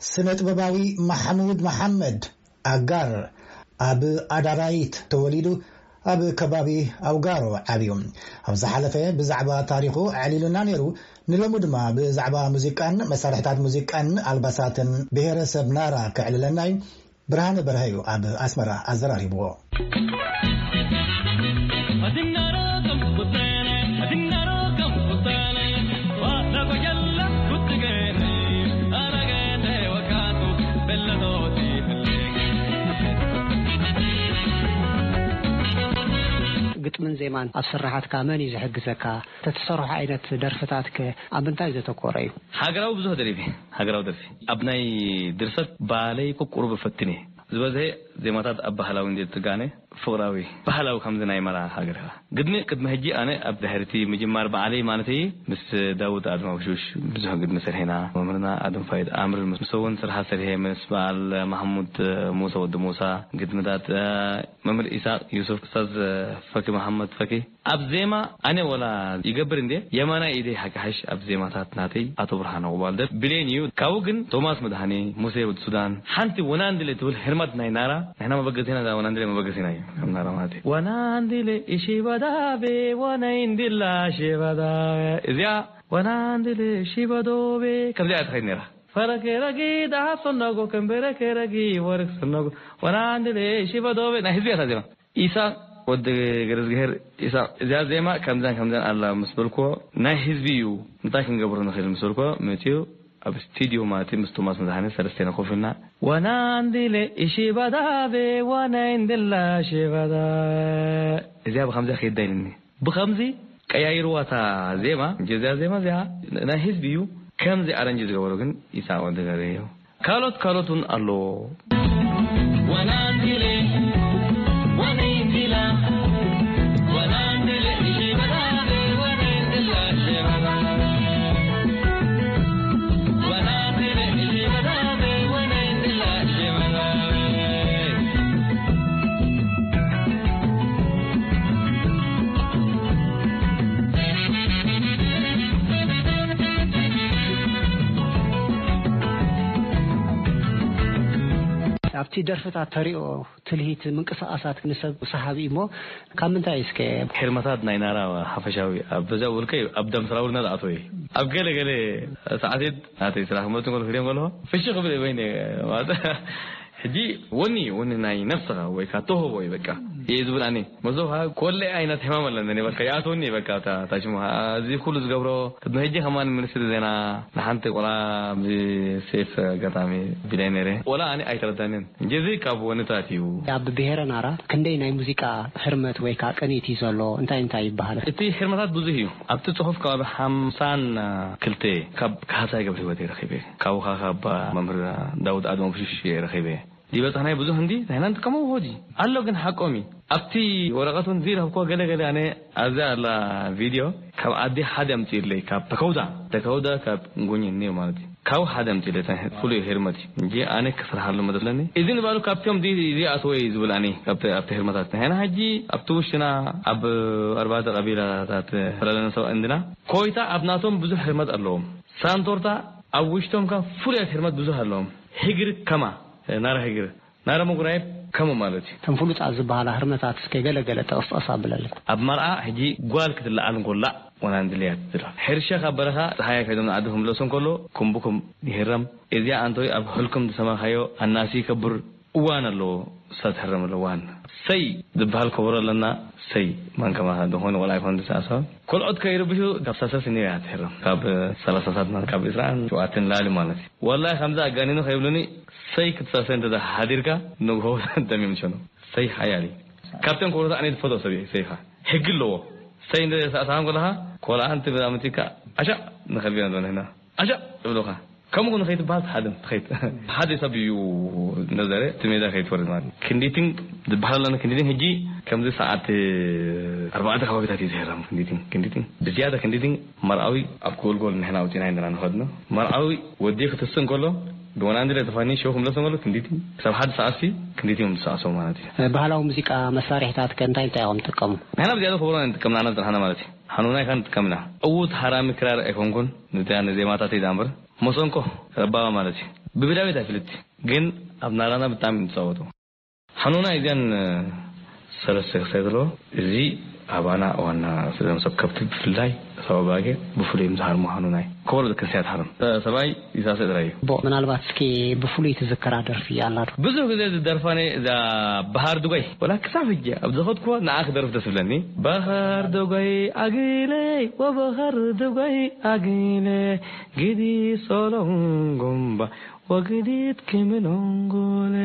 ስነ ጥበባዊ ማሕሙድ መሓመድ ኣጋር ኣብ ኣዳራይት ተወሊዱ ኣብ ከባቢ ኣውጋሮ ዓብዩ። ኣብ ዝሓለፈ ብዛዕባ ታሪኹ ኣዕሊሉና ነይሩ። ንሎሚ ድማ ብዛዕባ ሙዚቃን መሳርሕታት ሙዚቃን ኣልባሳትን ብሄረሰብ ናራ ከዕልለና እዩ። ብርሃነ በርሀ እዩ ኣብ ኣስመራ ኣዘራሪብዎ። ግጥምን ዜማን ኣብ ስራሓትካ መን እዩ ዝሕግዘካ? ተትሰርሖ ዓይነት ደርፍታትከ ኣብ ምንታይ ዘተኮረ እዩ? ሃገራዊ ብዙሕ ደሪፊ፣ ሃገራዊ ደርፊ። ኣብ ናይ ድርሰት ባለይ ቁቁሩብ እፈትን እየ። ዝበዝሐ ዜማታት ኣብ ባህላዊ እንድየ ዝጥጋነ፣ ፍቕራዊ፣ ባህላዊ ከምዚ ናይ መራ ሃገር ኢኻ። ግድሚ ቅድሚ ሕጂ ኣነ ኣብ ድሕርቲ ምጅማር በዓለይ ማለተይ ምስ ዳውድ ኣድማ ውሽውሽ ብዙሕ ግድሚ ሰሪሕና። መምህርና ኣድም ፋይድ ኣምር ምስ እውን ስርሓ ሰሪሐ፣ ምስ በዓል ማሕሙድ ሙሳ ወዲ ሙሳ ግድምታት፣ መምህር ኢሳቅ ዩሱፍ፣ ኡስታዝ ፈኪ መሓመድ ፈኪ። ኣብ ዜማ ኣነ ወላ ይገብር እንዴ የማናይ ኢደይ ሓቂ ሓሽ ኣብ ዜማታት ናተይ ኣቶ ብርሃነ ቁባልደር ብሌን እዩ። ካብኡ ግን ቶማስ መድሃኔ፣ ሙሴ ወዲ ሱዳን፣ ሓንቲ ወናንድለ ትብል ህርመት ናይ ናራ፣ ንሕና መበገሲና እዛ ወናንድለ መበገሲና እዩ። ከም ናራ ማለት እዩ። ወናንድለ ኢሺባዳቤ ወነይንድላ ሺባዳቤ። እዚኣ ወናንድለ ሺባዶቤ ከምዚኣ እያ ትኸይድ ነይራ። ፈረኬ ረጊ ደሃብ ሰነጎ፣ ከንበረኬ ረጊ ወርቅ ሰነጎ፣ ወናንድሌ ሽበዶቤ ናይ ህዝቢ እያ እታ ዜማ። ኢሳቅ ወዲ ገረዝግሄር ኢሳቅ፣ እዚኣ ዜማ ከምዛን ከምዛን ኣላ ምስ በልክዎ፣ ናይ ህዝቢ እዩ፣ እንታይ ክንገብሮ ንኽእል ምስ በልክዎ፣ መፂኡ ኣብ ስቱዲዮ ማለት እዩ፣ ምስ ቶማስ መድሃኔ ሰለስቴና ኮፍ ኢልና፣ ወናንድሌ ኢሺባዳቤ ዋናይንድላ ሼባዳ። እዚኣ ብከምዚኣ ከይዳ ኢልኒ። ብኸምዚ ቀያይርዋ እታ ዜማ፣ እንጂ እዚኣ ዜማ እዚኣ ናይ ህዝቢ እዩ። ከምዚ ኣረንጅ ዝገበሮ ግን ኢሳቅ ወዲ ገሬ እዩ። ካልኦት ካልኦት እውን ኣለዎ። ኣብቲ ደርፍታት ተሪኦ ትልሂት ምንቅስቃሳት ንሰብ ሰሓቢ እሞ ካብ ምንታይ እስከ? ሄርመታት ናይ ናራ ሓፈሻዊ ኣብ በዛ ውልቀ ኣብ ደም ስራውልና ዝኣተወ እዩ። ኣብ ገለ ገለ ሰዓት ናተይ ስራሕ መቱ ከሎ ክሪኦ ከሎ ፍሽ ክብል ወይኔ ማለት ሕጂ ወኒ ወኒ ናይ ነፍስኻ ወይ ከዓ ተውህቦ እዩ በቃ። እየ ዝብል ኣነ መዞ ከዓ ኮለ ዓይነት ሕማም ኣለኒ በቃ ይኣትወኒ በቃ። እታ ሽሙ እዚ ኩሉ ዝገብሮ ቅድሚ ሕጂ ከማን ሚኒስትሪ ዜና ንሓንቲ ቆልዓ ብዚ ሴፍ ኣጋጣሚ ቢላይ ነይረ። ወላ ኣነ ኣይተረዳንን እንጂ እዚ ካብ ወንታት እዩ። ኣብ ብሄረ ናራ ክንደይ ናይ ሙዚቃ ህርመት ወይ ከዓ ቅኒት እዩ ዘሎ? እንታይ እንታይ ይበሃል? እቲ ህርመታት ብዙሕ እዩ። ኣብቲ ጽሑፍ ከባቢ ሓምሳን ክልተ ካብ ካህሳይ ገብረ ህይወት ረኺበ። ካብኡ ካብ መምህር ዳውድ ኣድማም ሽሽ ረኺበ። ይበጽሕናይ ብዙሕ እንዲ ንሕና ንጥቀሞ ውሆጂ ኣሎ ግን ሓቆም እዩ። ኣብቲ ወረቐት እውን ዝረኸብኮ ገለ ገለ ኣነ ኣብዛ ኣላ ቪድዮ ካብ ኣዲ ሓደ ኣምፅእለይ ካብ ተከውዳ ተከውዳ ካብ ጉኝ እኒኦ ማለት እዩ። ካብ ሓደ ኣምፅእለይ ፍሉይ ህርመት እዩ እንጂ ኣነ ክስርሓሉ መደለኒ እዚ ንባሉ ካብቶም እዚ ኣትወይ ዝብል ኣነ ኣብቲ ህርመታት ንሕና ሕጂ ኣብቲ ውሽጥና ኣብ ኣርባዕተ ቀቢላታት ተላለነ ሰብ እንድና ኮይታ ኣብ ናቶም ብዙሕ ህርመት ኣለዎም። ሳንቶርታ ኣብ ውሽጦም ከ ፍሉያት ህርመት ብዙሕ ኣለዎም። ህግር ከማ ናራ ህግር ናራ መጉራየብ ከሙ ማለት እዩ። እተን ፍሉጣት ዝበሃላ ህርመታት እስከ ገለ ገለ ጠቕስጠቕስ ኣብለለይ። ኣብ መርዓ ሕጂ ጓል ክትለዓል እንኮላ ወናንድልያ ትድረፍ። ሕርሻ ካብ በረኻ ፀሃያ ከይዶም ንዓዲ ክምለሱ እንከሎ ኩምብኩም ይህረም። እዚኣ ኣንቶይ ኣብ ሕልኩም ዝሰማኻዮ ኣናሲ ይከብር እዋን ኣለዎ። እሳ ትሕረም ኣለዋን ሰይ ዝበሃል ከበሮ ኣለና። ሰይ ማን ከማኻ ዝኾነ ቆልዓ ይኮን ዝሰዓሰ ቆልዖት ከይርብሹ ካብ ሳሰስ እኒኦ እያ ትሕረም ካብ ሰላሳታት ማለት ካብ ዕስራን ሸውዓተን ላሊ ማለት እዩ። ወላሂ ከምዚ ኣጋኒኑ ከይብሉኒ ሰይ ክትሳሰ እንተ ሓዲርካ ንግሆ ደሚም ሸኑ ሰይ ሓያሊ ካብተን ከበሮታት ኣነ ዝፈትዎ ሰብ እየ። ሰይኻ ሕጊ ኣለዎ። ሰይ እንደ ሰዓት ከለኻ ቆልዓ እንት ብዛምቲካ ኣሻ ንኸልቢና ኣለና ኣሻ ይብሉኻ ከምኡ ንኸይትበሃል ትሓድም ትኸይድ ሓደ ሰብ እዩ። ነዘረ እቲ ሜዳ ከይትወርድ ማለት ክንዲቲን ዝበሃል ኣለና ክንዲቲን ሕጂ ከምዚ ሰዓት ኣርባዕተ ከባቢታት እዩ ዝሄራም ክንዲቲን ክንዲቲን ብዝያዳ ክንዲቲን መርዓዊ ኣብ ጎልጎል ንሕና ኣውፂና ኢና ንኸድኖ መርዓዊ ወዲ ክትስእ እንከሎ ብወናንዲ ላይ ተፋኒ ሸው ክምለስ እንከሎ ክንዲቲን ክሳብ ሓደ ሰዓት ሲ ክንዲቲን እዮም ዝሰዓሶ ማለት እዩ። ባህላዊ ሙዚቃ መሳርሕታት ከ እንታይ እንታይ እዮም ትጥቀሙ? ንሕና ብዝያዳ ክብሮ ንጥቀም ንዓና ዝረሓና ማለት እዩ። ሓኑና ይካ ንጥቀምና ዕዉት ሃራሚ ክራር ኣይኮንኩን ንዚያ ንዜማታት እዩ ዳምበር መሰንቆ ረባባ ማለት እዩ። ብብዳቤት ኣይፍልጥ ግን ኣብ ናራና ብጣዕሚ ንፃወቱ። ሓኑና እዚኣን ሰለስተ ክሳይ ዘለዎ እዚ ኣባና ዋና ስለም ሰብ ከብቲ ብፍላይ ሰብ ኣባጌ ብፍሉይ ምስ ሃርሙ ሓኑናይ ከበሮ ክንስያ ትሃርም ሰብኣይ ይሳሰ ጥራይ እዩ። ቦ ምናልባት እስኪ ብፍሉይ ትዝከራ ደርፊ ኣላ ዶ? ብዙሕ ግዜ ዝደርፋ ናይ እዛ በሃር ድጓይ ወላ ክሳብ ሕጂ ኣብ ዝኸድኩዋ ንዓ ክደርፍ ደስ ብለኒ። በሃር ድጓይ ኣግለይ ወበሃር ድጓይ ኣግለ ግዲ ሶሎም ጎምባ ወግዲት ክምኖንጎለ።